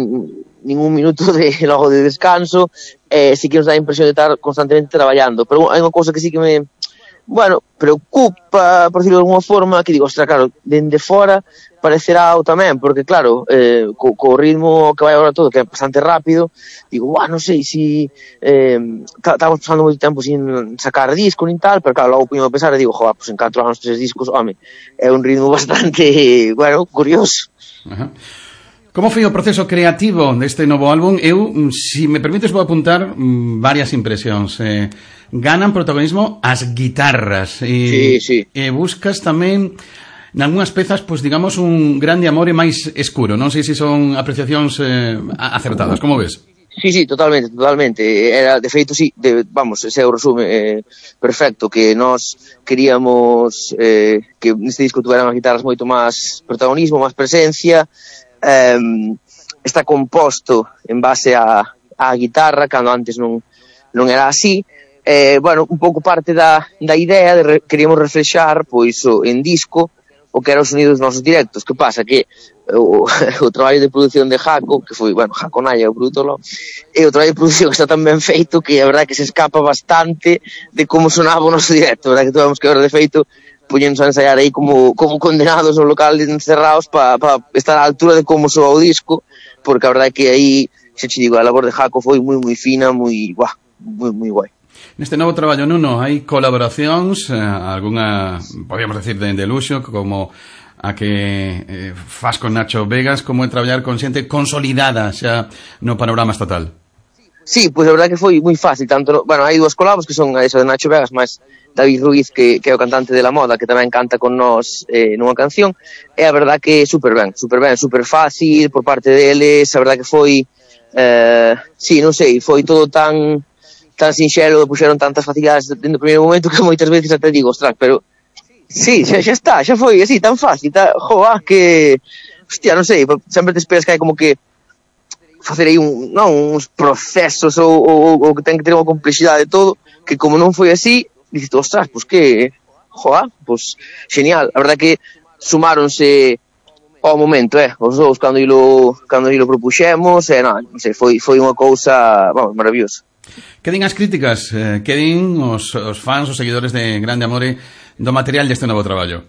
Speaker 13: ningún minuto logo de descanso, sí que nos dá a impresión de estar constantemente traballando, pero hai unha cousa que sí que me... Bueno, preocupa, por decirlo de alguma forma, que digo, ostras, claro, dende fora parecerá o tamén, porque claro, co ritmo que vai agora todo, que é bastante rápido, digo, non sei si estamos pasando moito tempo sin sacar disco nin tal, pero claro, logo puño a pensar e digo, pues en 4 anos 3 discos, home, é un ritmo bastante, bueno, curioso.
Speaker 1: Ajá. Como foi o proceso creativo deste novo álbum? Eu, si me permites, vou apuntar varias impresións. Ganan protagonismo as guitarras.
Speaker 13: Sí.
Speaker 1: E buscas tamén, nalgúnas pezas, pues digamos, un grande amore máis escuro. Non sei se son apreciacións acertadas. Como ves?
Speaker 13: Sí, totalmente. Era, de feito, sí, vamos, ese é o resume perfecto, que nós queríamos que neste disco tuveran as guitarras moito máis protagonismo, máis presencia. Está composto en base a guitarra, cando antes non era así. Bueno, un pouco parte da idea queríamos reflexar, pois, en disco, o que eran os sonidos dos nosos directos. Que pasa? Que o traballo de produción de Jaco, que foi, bueno, Jaco Naya, o produtor, e o traballo de produción está tan ben feito que a verdade que se escapa bastante de como sonaba o noso directo, a verdade que tuvemos que ver de feito poñéndonos a ensaiar aí como condenados no local encerrados para estar á altura de como soa o disco, porque a verdade que aí, xa te digo, a labor de Jaco foi moi fina, moi guai.
Speaker 1: Neste novo traballo, Nuno, hai colaboracións, algunha, podríamos decir, de luxo, como a que faz con Nacho Vegas, como é traballar con xente consolidada xa no panorama estatal.
Speaker 13: Sí, pois a verdade que foi moi fácil, tanto, bueno, hai dúas colabos que son eso de Nacho Vegas, máis David Ruiz, que é o cantante de La Moda, que tamén canta con nós nunha canción, e a verdade que super fácil por parte deles, a verdade que foi, sí, non sei, foi todo tan sinxelo, puxeron tantas facilidades dentro do primeiro momento que moitas veces até digo, ostras, pero sí, xa está, xa foi así, tan fácil, que, hostia, non sei, sempre te esperas que hai como que facer aí uns procesos ou que ten que ter unha complexidade de todo, que como non foi así, dices, ostras, pues que, pues genial. A verdade que sumáronse ao momento, os dous cando ilo propuxemos, non sei, foi unha cousa, vamos, maravillosa.
Speaker 1: Que din as críticas, que din os fans, os seguidores de Grande Amore do material deste novo traballo?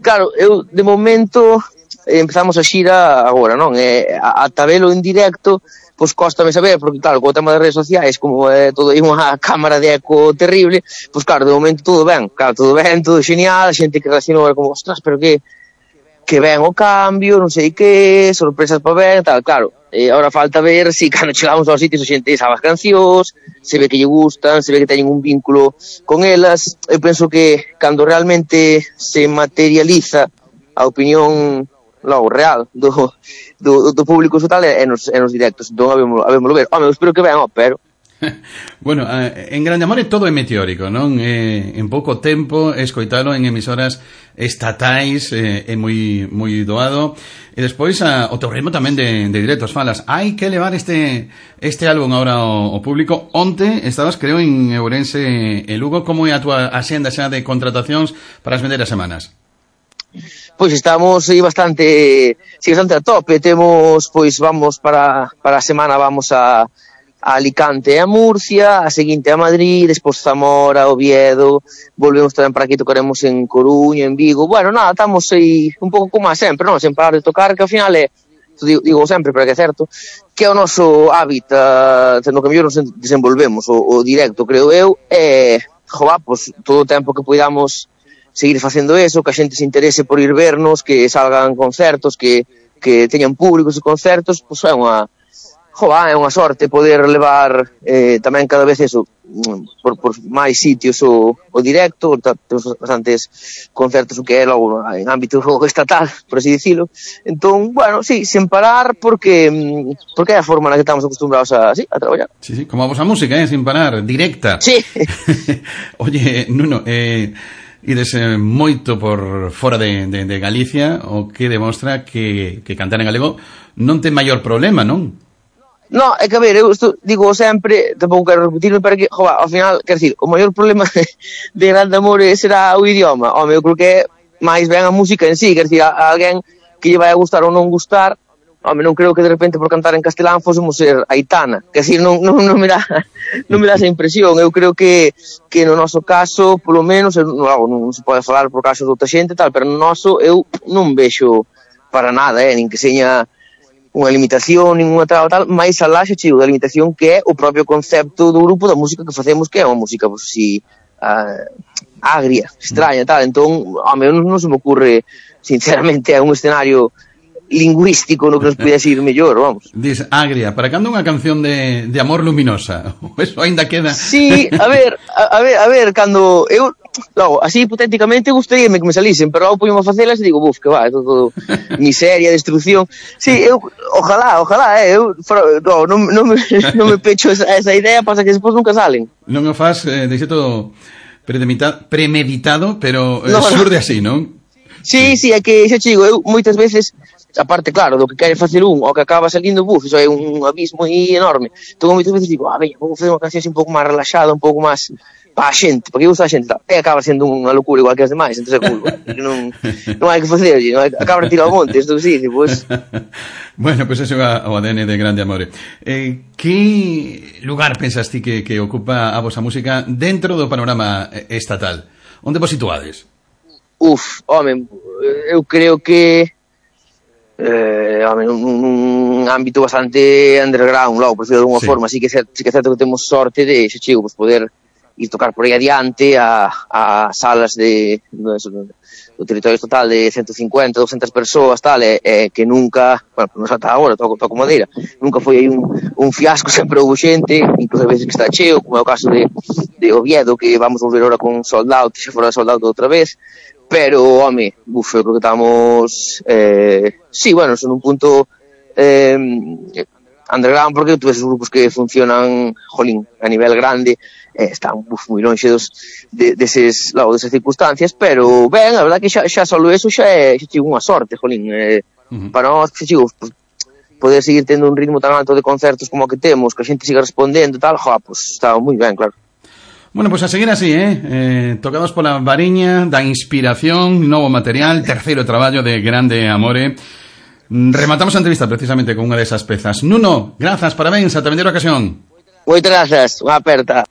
Speaker 13: Claro, eu de momento empezamos a xira agora, non? A tabelo en directo, pois cóstame saber, porque claro, co tema das redes sociais, como é todo aí unha cámara de eco terrible, pois claro, de momento todo ben, todo genial, a xente que reaccionou como, ostras, pero que ben o cambio, non sei que, sorpresas para ver, tal, claro. Ahora falta ver si cando chegamos aos sitios a xente sabe as cancións, se ve que lle gustan, se ve que teñen un vínculo con elas. Eu penso que cando realmente se materializa a opinión logo real do público total é nos directos, entón habémoslo ver. Home, eu espero que ben, pero
Speaker 1: bueno, en Grande Amore todo é meteórico, non? En pouco tempo escoitalo en emisoras estatais é moi doado. E despois o teu ritmo tamén de directos falas. Hai que levar este álbum agora ao público. Onte estabas, creo, en Ourense e Lugo. Como é a tua axenda xa de contratacións para as vendeiras semanas?
Speaker 13: Pois estamos aí bastante a tope. Temos, pois vamos para a semana, vamos a Alicante e a Murcia, a seguinte a Madrid, despois Zamora, Oviedo, volvemos tamén para aquí, tocaremos en Coruña, en Vigo. Bueno, nada, estamos aí un pouco como a sempre, non? Sen parar de tocar, que ao final é, digo sempre, pero que é certo, que é o noso hábitat, no que mellor nos desenvolvemos, o directo, creo eu, e, pues, todo o tempo que podamos seguir facendo eso, que a xente se interese por ir vernos, que salgan concertos, que teñan públicos e concertos, pois é é unha sorte poder levar tamén cada vez eso por máis sitios o directo. Temos bastantes concertos o que é logo en ámbito estatal, por así dicilo. Entón, bueno, sí, sen parar porque é a forma na que estamos acostumbrados a traballar.
Speaker 1: Sí, como a vosa música, sin parar, directa.
Speaker 13: Sí.
Speaker 1: Oye, Nuno, ides moito por fora de Galicia, o que demostra que cantar en galego non ten maior problema, non?
Speaker 13: No, é que a ver, eu digo sempre, tampouco quero repetirme, pero que, ao final, quero dicir, o maior problema de Grande Amore será o idioma. Home, eu creo que é máis ben a música en sí, quero dicir, a alguén que lle vai a gustar ou non gustar, home, non creo que de repente por cantar en castelán fósemos ser Aitana, quero dicir, non me dá esa impresión. Eu creo que no noso caso, polo menos, non se pode falar por caso de outra xente tal, pero no noso eu non vexo para nada, nin que seña unha limitación, ninguna tal, máis alá xa chigo da limitación que é o propio concepto do grupo, da música que facemos, que é unha música, pois, así, agria, extraña, tal. Entón, home, non se me ocurre, sinceramente, é un escenario lingüístico no que nos pudese ir mellor, vamos.
Speaker 1: Diz agria, para cando unha canción de amor luminosa? Eso ainda queda...
Speaker 13: Sí, a ver, cando eu... Logo, así hipotéticamente gustaríame que me salisen, pero logo poño a facelas e digo, que va, é todo miseria, destrucción. Sí, eu, ojalá, eu non me pecho esa idea, pasa que despois nunca salen.
Speaker 1: Non o faz de xeito premeditado, pero surde así, non?
Speaker 13: Sí, é que xa chigo, eu moitas veces, aparte, claro, do que quere facer o que acaba salindo, iso é un abismo enorme. Entón, moitas veces digo, veña, vou facer unha canción así un pouco máis relaxada, un pouco máis para a xente, porque gusta a xente, e acaba sendo unha locura igual que as demais, entón é culpa, non hai que facer, acaba de tirar o monte, isto sí, pois...
Speaker 1: Bueno, pois ese é o ADN de Grande Amore. Que lugar pensas ti que ocupa a vosa música dentro do panorama estatal? Onde vos situades?
Speaker 13: Home, eu creo que un ámbito bastante underground, logo, por decirlo de alguma forma, sí que é certo que temos sorte de, xa chigo, pues, poder ir tocar por aí adiante a salas do territorio estatal de 150, 200 persoas, tal, que nunca, bueno, non ata agora, toco madeira, nunca foi aí un fiasco, sempre houve xente, incluso a veces que está cheo, como é o caso de Oviedo, que vamos volver ahora con Sold Out, xa fora Sold Out outra vez, pero, home, eu creo que estamos, sí, bueno, son un punto underground, porque tú ves os grupos que funcionan, jolín, a nivel grande, están moi longe desas circunstancias, pero ben, a verdad que xa solo eso xa é unha sorte, jolín, para nós, xa chigo, poder seguir tendo un ritmo tan alto de concertos como que temos, que a xente siga respondendo e tal, pues está moi ben, claro.
Speaker 1: Bueno, pues a seguir así, tocados pola variña da inspiración, novo material, terceiro traballo de Grande Amore. Rematamos a entrevista precisamente con unha desas pezas. Nuno, grazas, parabéns, ata vindeira ocasión.
Speaker 13: Moitas grazas, unha aperta.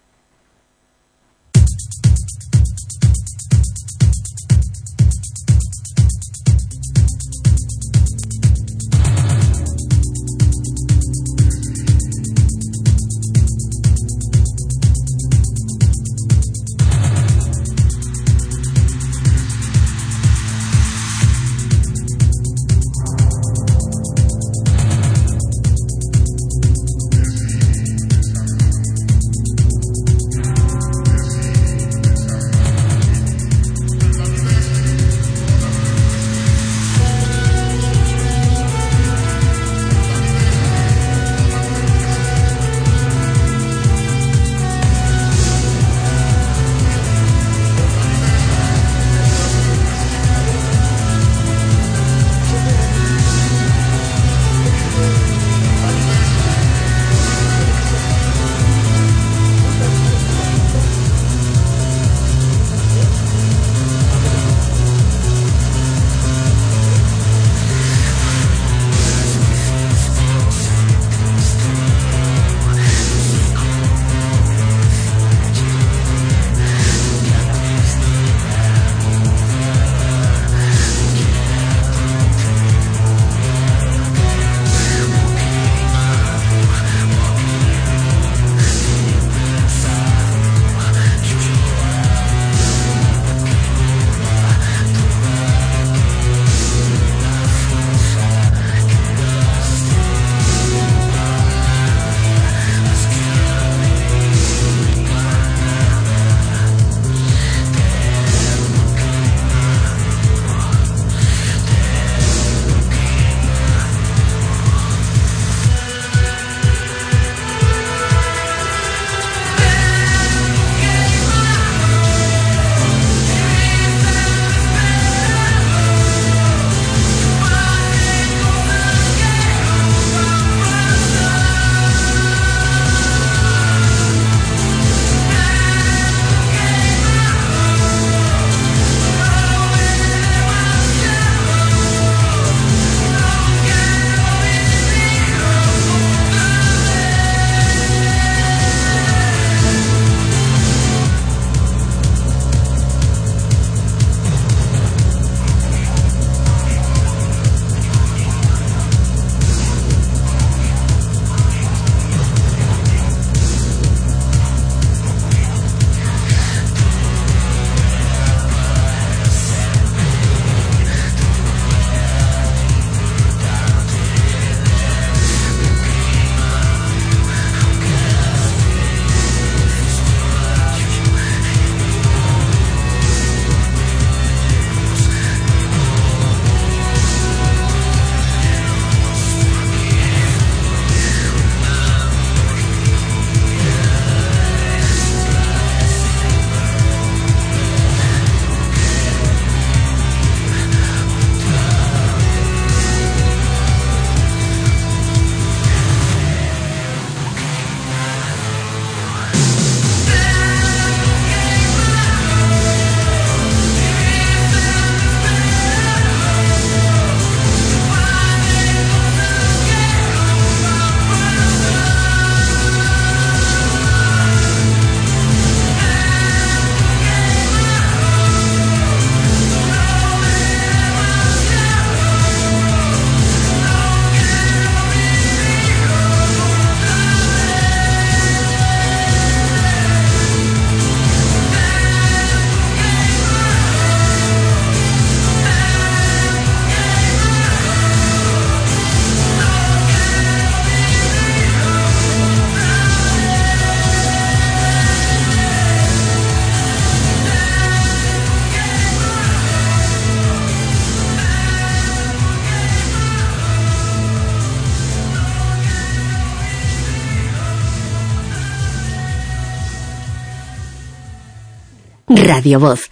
Speaker 3: Radio Voz.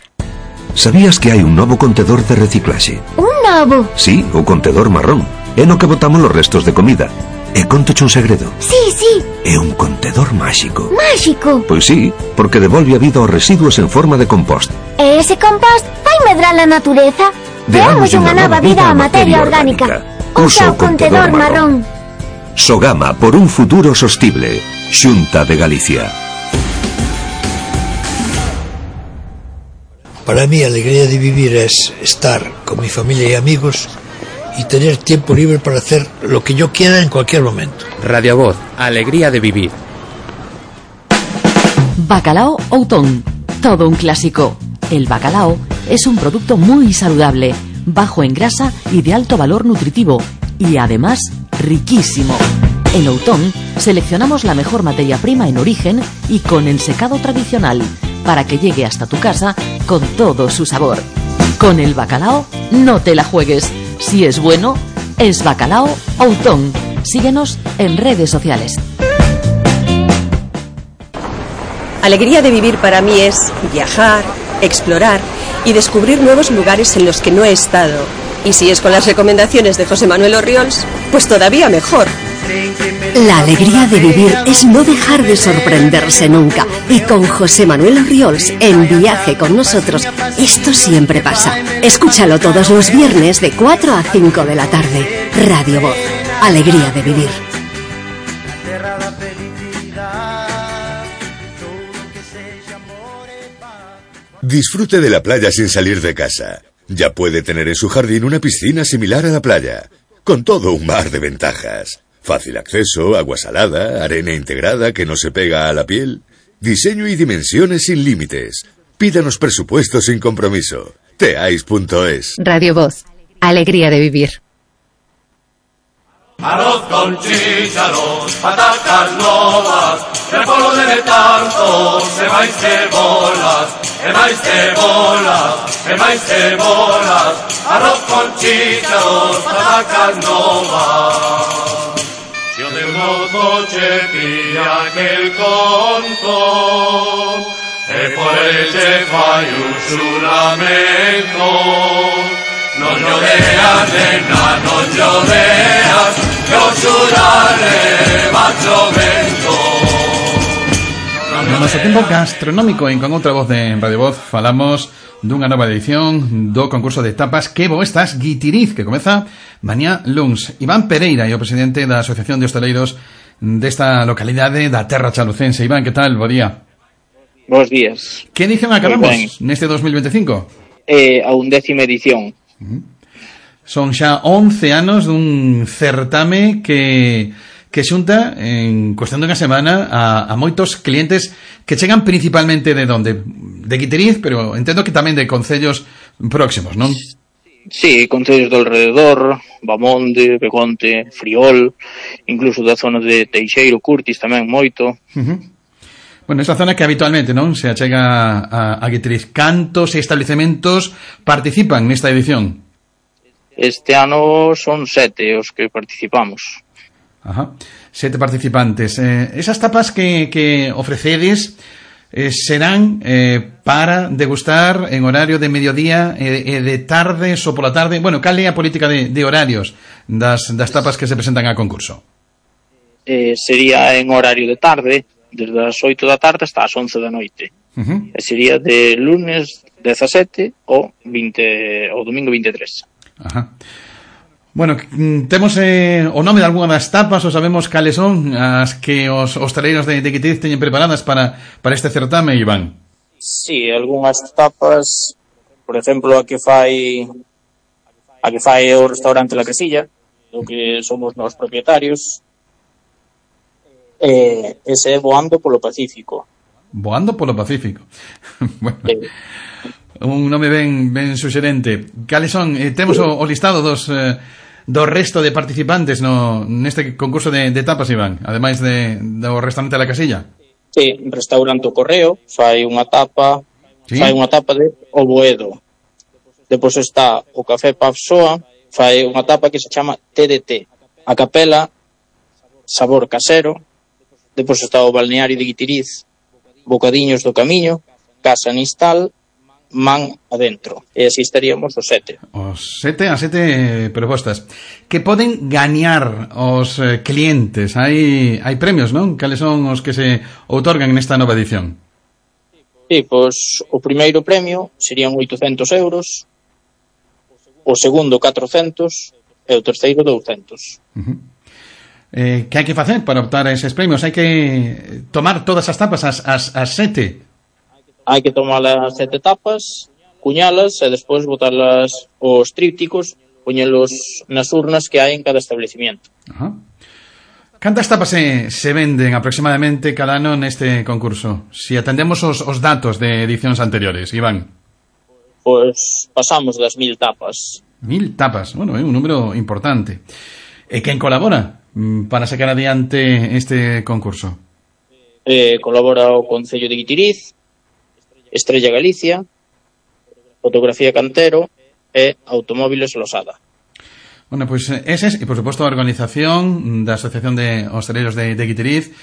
Speaker 14: Sabías que hai un novo contedor de reciclaxe?
Speaker 15: Un novo?
Speaker 14: Sí, o contedor marrón. É no que botamos os restos de comida. E contoche un segredo.
Speaker 15: Sí.
Speaker 14: É un contedor máxico.
Speaker 15: Máxico?
Speaker 14: Pois sí, porque devolve a vida aos residuos en forma de compost.
Speaker 15: E ese compost vai medrar a natureza? Deamos unha nova vida á materia orgánica. Usa o contedor marrón.
Speaker 14: Sogama por un futuro sostible. Xunta de Galicia.
Speaker 16: Para mí, la alegría de vivir es estar con mi familia y amigos y tener tiempo libre para hacer lo que yo quiera en cualquier momento.
Speaker 17: Radio Voz, alegría de vivir.
Speaker 10: Bacalao Outón, todo un clásico. El bacalao es un producto muy saludable, bajo en grasa y de alto valor nutritivo, y además riquísimo. En Outón seleccionamos la mejor materia prima en origen y con ensecado tradicional, para que llegue hasta tu casa con todo su sabor. Con el bacalao no te la juegues. Si es bueno, es Bacalao Outón. Síguenos en redes sociales.
Speaker 18: Alegría de vivir para mí es viajar, explorar y descubrir nuevos lugares en los que no he estado. Y si es con las recomendaciones de José Manuel Orriols, pues todavía mejor.
Speaker 3: La alegría de vivir es no dejar de sorprenderse nunca. Y con José Manuel Orriols en Viaje con nosotros, esto siempre pasa. Escúchalo todos los viernes de 4 a 5 de la tarde. Radio Voz. Alegría de vivir.
Speaker 19: Disfrute de la playa sin salir de casa. Ya puede tener en su jardín una piscina similar a la playa, con todo un mar de ventajas. Fácil acceso, agua salada, arena integrada que no se pega a la piel. Diseño y dimensiones sin límites. Pídanos presupuesto sin compromiso. teais.es.
Speaker 20: Radio Voz. Alegría de vivir.
Speaker 8: Arroz con chícharos, patatas novas, repollo de tanto, se vais cebolas, arroz con chícharos, patatas novas. Yo de mozo che pilla aquel conto, e por ese fai un xuramento. Non lloreas, nena, non lloreas, que o xurare va chovendo.
Speaker 1: No noso tempo gastronómico en Con Outra Voz de Radio Voz falamos dunha nova edición do concurso de tapas Que bo estás, Guitiriz, que comeza mañá luns. Iván Pereira é o presidente da Asociación de Hostaleiros desta localidade da Terra Chalucense. Iván, que tal? Bo día.
Speaker 21: Bos días.
Speaker 1: Que edición acabamos neste 2025?
Speaker 21: A 11ª edición.
Speaker 1: Son xa 11 anos dun certame que xunta en cuestión dunha semana a moitos clientes que chegan principalmente de onde? De Guitiriz, pero entendo que tamén de concellos próximos, non?
Speaker 21: Sí, concellos do alrededor, Bamonde, Begonte, Friol, incluso da zona de Teixeiro, Curtis tamén moito.
Speaker 1: Bueno, esa zona que habitualmente non se achega a Guitiriz. Cantos establecementos participan nesta edición?
Speaker 21: Este ano son 7 os que participamos.
Speaker 1: Ajá, 7 participantes. Esas tapas que ofrecedes serán para degustar en horario de mediodía e de tardes ou pola tarde. Bueno, cal é a política de horarios das tapas que se presentan a concurso?
Speaker 21: Sería en horario de tarde, desde as 8 da tarde hasta as 11 da noite. E sería de lunes 17 ou domingo 23.
Speaker 1: Ajá. Bueno, temos o nome de algunha das tapas ou sabemos cales son as que os hostaleiros de Guitiriz teñen preparadas para este certame, Iván?
Speaker 21: Sí, algunhas tapas, por exemplo, a que fai o restaurante La Casilla, do que somos nós propietarios. Ese é Voando polo Pacífico.
Speaker 1: Voando polo Pacífico. Bueno, un nome ben suxerente. Cales son? Temos o listado do resto de participantes neste concurso de tapas, Iván, ademais do restaurante La Casilla.
Speaker 21: Sí, restaurante O Correo fai unha tapa, ¿sí? Fai unha tapa de O Boedo. Depois está o Café Pavsoa, fai unha tapa que se chama TDT. A Capela, Sabor Casero. Depois está o Balneario de Guitiriz, Bocadiños do Camiño, casa Nistal, man adentro. E así estaríamos os 7.
Speaker 1: As 7 propostas que poden gañar os clientes. Hai premios, non? Cales son os que se outorgan nesta nova edición?
Speaker 21: Sí, pois o primeiro premio serían 800 euros, o segundo 400 e o terceiro 200.
Speaker 1: Que hai que facer para optar a eses premios? Hai que tomar todas as tapas, as 7?
Speaker 21: Hai que tomar as 7 tapas, cuñalas e despois botarlas os trípticos, poñelos nas urnas que hai en cada establecimiento.
Speaker 1: Cantas tapas se venden aproximadamente cada ano neste concurso? Si atendemos os datos de edicións anteriores, Iván.
Speaker 21: Pois pasamos das 1000 tapas.
Speaker 1: 1000 tapas, bueno, é un número importante. E quen colabora para sacar adiante este concurso?
Speaker 21: Colabora o Concello de Guitiriz, Estrella Galicia, Fotografía Cantero e Automóviles Losada.
Speaker 1: Bueno, pois eses, e por suposto a organización da Asociación de Hostaleiros de Guitiriz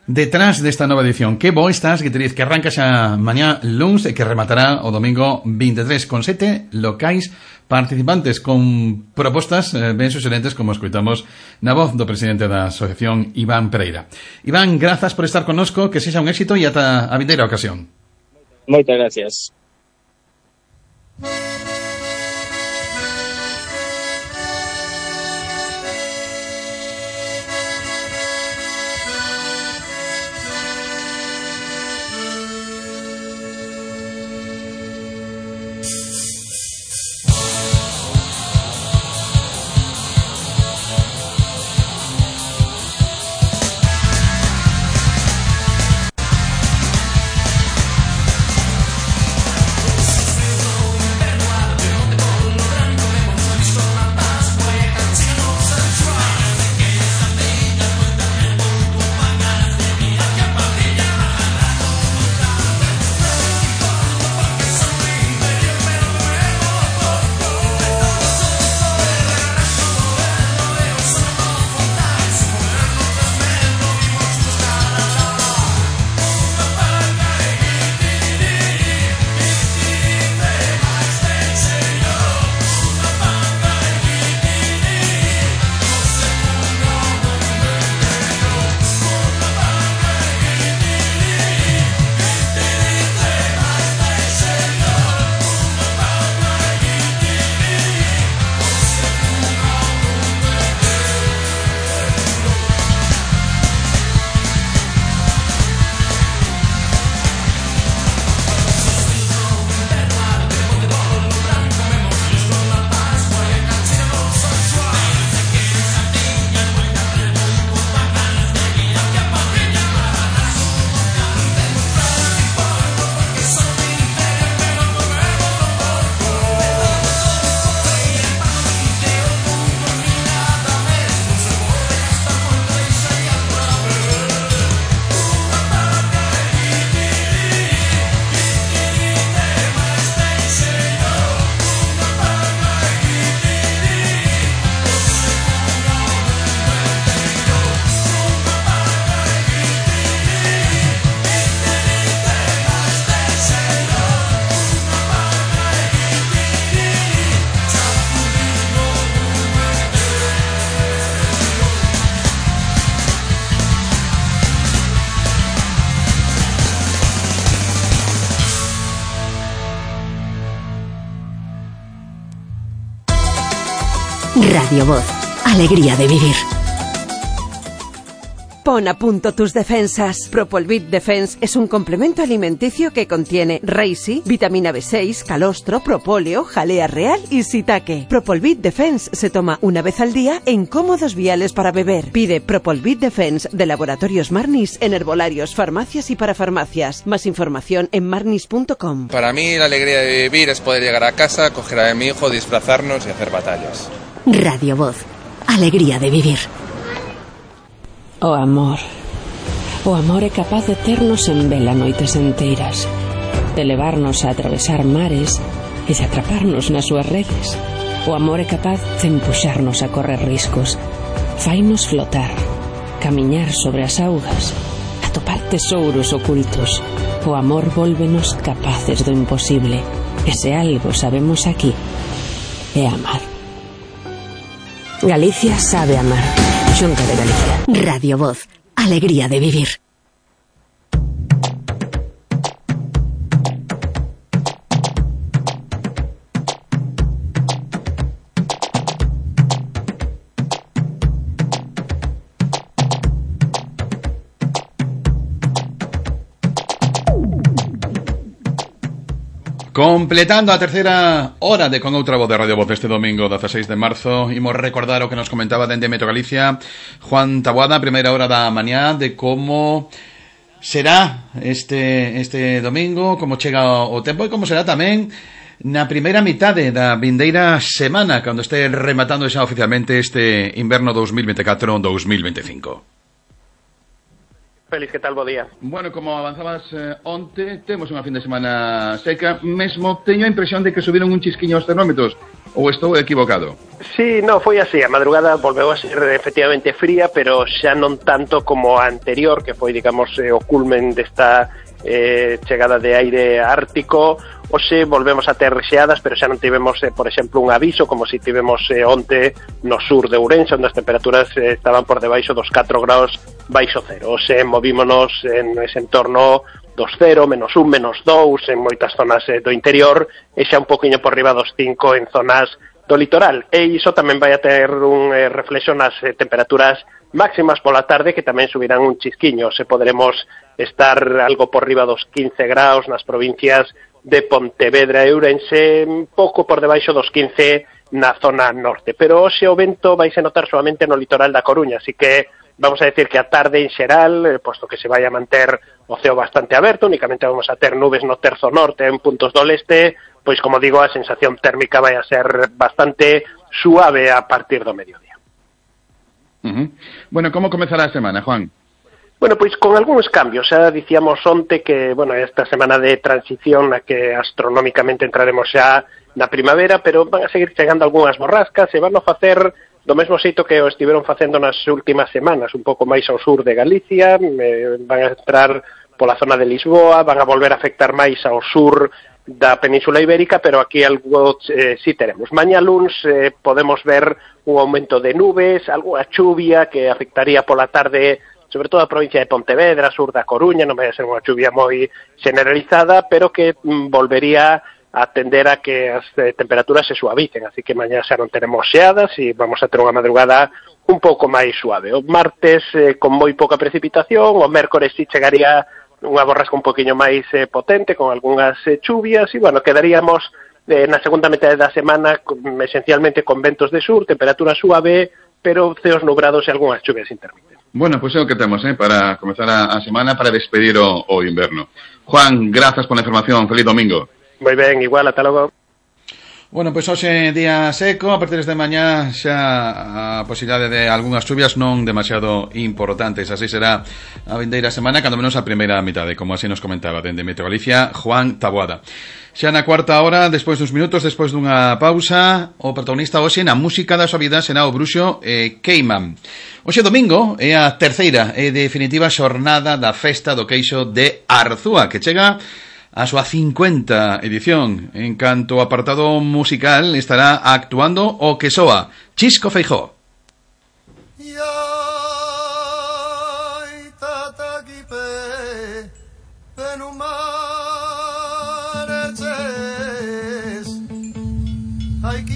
Speaker 1: detrás desta nova edición. Que bo estás, Guitiriz, que arranca xa mañá luns e que rematará o domingo 23 con 7 locais participantes con propostas ben suxerentes, como escoitamos na voz do presidente da Asociación, Iván Pereira. Iván, grazas por estar connosco, que sexa un éxito e ata a vindeira ocasión.
Speaker 21: Moitas gracias.
Speaker 3: Radio Voz, alegría de vivir.
Speaker 6: Pon a punto tus defensas. Propolvit Defense es un complemento alimenticio que contiene Reishi, vitamina B6, calostro, propóleo, jalea real y shiitake. Propolvit Defense se toma una vez al día en cómodos viales para beber. Pide Propolvit Defense de Laboratorios Marnis en herbolarios, farmacias y parafarmacias. Más información en marnis.com.
Speaker 2: Para mí la alegría de vivir es poder llegar a casa, coger a mi hijo, disfrazarnos y hacer batallas.
Speaker 3: Radio Voz, alegría de vivir.
Speaker 22: O amor é capaz de ternos en vela noites enteiras, de levarnos a atravesar mares e de atraparnos nas súas redes. O amor é capaz de empuxarnos a correr riscos, fainos flotar, camiñar sobre as augas, atopar tesouros ocultos. O amor vólvenos capaces do imposible. E se algo sabemos aquí é amar. Galicia sabe amar. Xunta de Galicia.
Speaker 3: Radio Voz. Alegría de vivir.
Speaker 1: Completando a terceira hora de Con outra voz de Radio Voz este domingo 16 de marzo, imos recordar o que nos comentaba dende Metro Galicia Juan Taboada, primeira hora da mañá, de como será este domingo, como chega o tempo e como será tamén na primeira mitade da vindeira semana, cando este rematando xa oficialmente este inverno 2024-2025.
Speaker 4: Félix, que tal, bo día?
Speaker 1: Bueno, como avanzabas onte, temos unha fin de semana seca. Mesmo teño a impresión de que subiron un chisquiño os termómetros. Ou estou equivocado?
Speaker 4: Sí, no, foi así. A madrugada volveu a ser efectivamente fría, pero xa non tanto como a anterior, que foi, digamos, o culmen desta chegada de aire ártico. Hoxe volvemos a ter rexeadas, pero xa non tivemos, por exemplo, un aviso como si tivemos onte no sur de Ourense, onde as temperaturas estaban por debaixo dos 4 graus baixo cero. Hoxe movímonos en ese entorno dos 0, menos 1, menos 2 en moitas zonas do interior e xa un poquinho por riba dos 5 en zonas do litoral. E iso tamén vai a ter un reflexo nas temperaturas máximas pola tarde, que tamén subirán un chisquiño. Se poderemos estar algo por riba dos 15 graus nas provincias de Pontevedra e Ourense, pouco por debaixo dos 15 na zona norte. Pero hoxe o vento vai se notar solamente no litoral da Coruña, así que vamos a decir que a tarde en xeral, posto que se vai a manter o ceo bastante aberto, únicamente vamos a ter nubes no terzo norte en puntos do leste, pois como digo, a sensación térmica vai a ser bastante suave a partir do mediodía.
Speaker 1: Bueno, como comezará a semana, Juan?
Speaker 4: Bueno, pois con algúns cambios. Xa dicíamos onte que, bueno, esta semana de transición na que astronómicamente entraremos xa na primavera, pero van a seguir chegando algunhas borrascas e van a facer do mesmo xeito que o estiveron facendo nas últimas semanas, un pouco máis ao sur de Galicia, van a entrar pola zona de Lisboa, van a volver a afectar máis ao sur da Península Ibérica, pero aquí algo sí teremos. Mañá luns podemos ver un aumento de nubes, algo a chuvia que afectaría pola tarde sobre todo a provincia de Pontevedra, sur da Coruña, non vai a ser unha chuvia moi generalizada, pero que volvería a tender a que as temperaturas se suavicen, así que mañá xa non teremos xeadas e vamos a ter unha madrugada un pouco máis suave. O martes con moi pouca precipitación, o mércores sí chegaría unha borrasca un poquinho máis potente, con algunhas chuvias, e bueno, quedaríamos na segunda metade da semana esencialmente con ventos de sur, temperatura suave, pero ceos nubrados e algunhas chuvias intermitentes.
Speaker 1: Bueno, pues é o que temos, para comenzar a semana, para despedir o inverno. Juan, grazas por la información. Feliz domingo.
Speaker 4: Moi ben, igual, ata logo.
Speaker 1: Bueno, pois hoxe día seco, a partir de mañá xa a posibilidade de algunhas chuvias non demasiado importantes. Así será a vindeira semana, cando menos a primeira mitade, como así nos comentaba dende Metro Galicia, Juan Taboada. Xa na cuarta hora, despois duns minutos, despois dunha pausa, o protagonista hoxe na música da súa vida será o bruxo Cayman. Hoxe domingo é a terceira e definitiva xornada da festa do queixo de Arzúa, que chega a súa 50 edición. En canto ao apartado musical estará actuando o que soa Chisco Feijóo.
Speaker 5: Ay,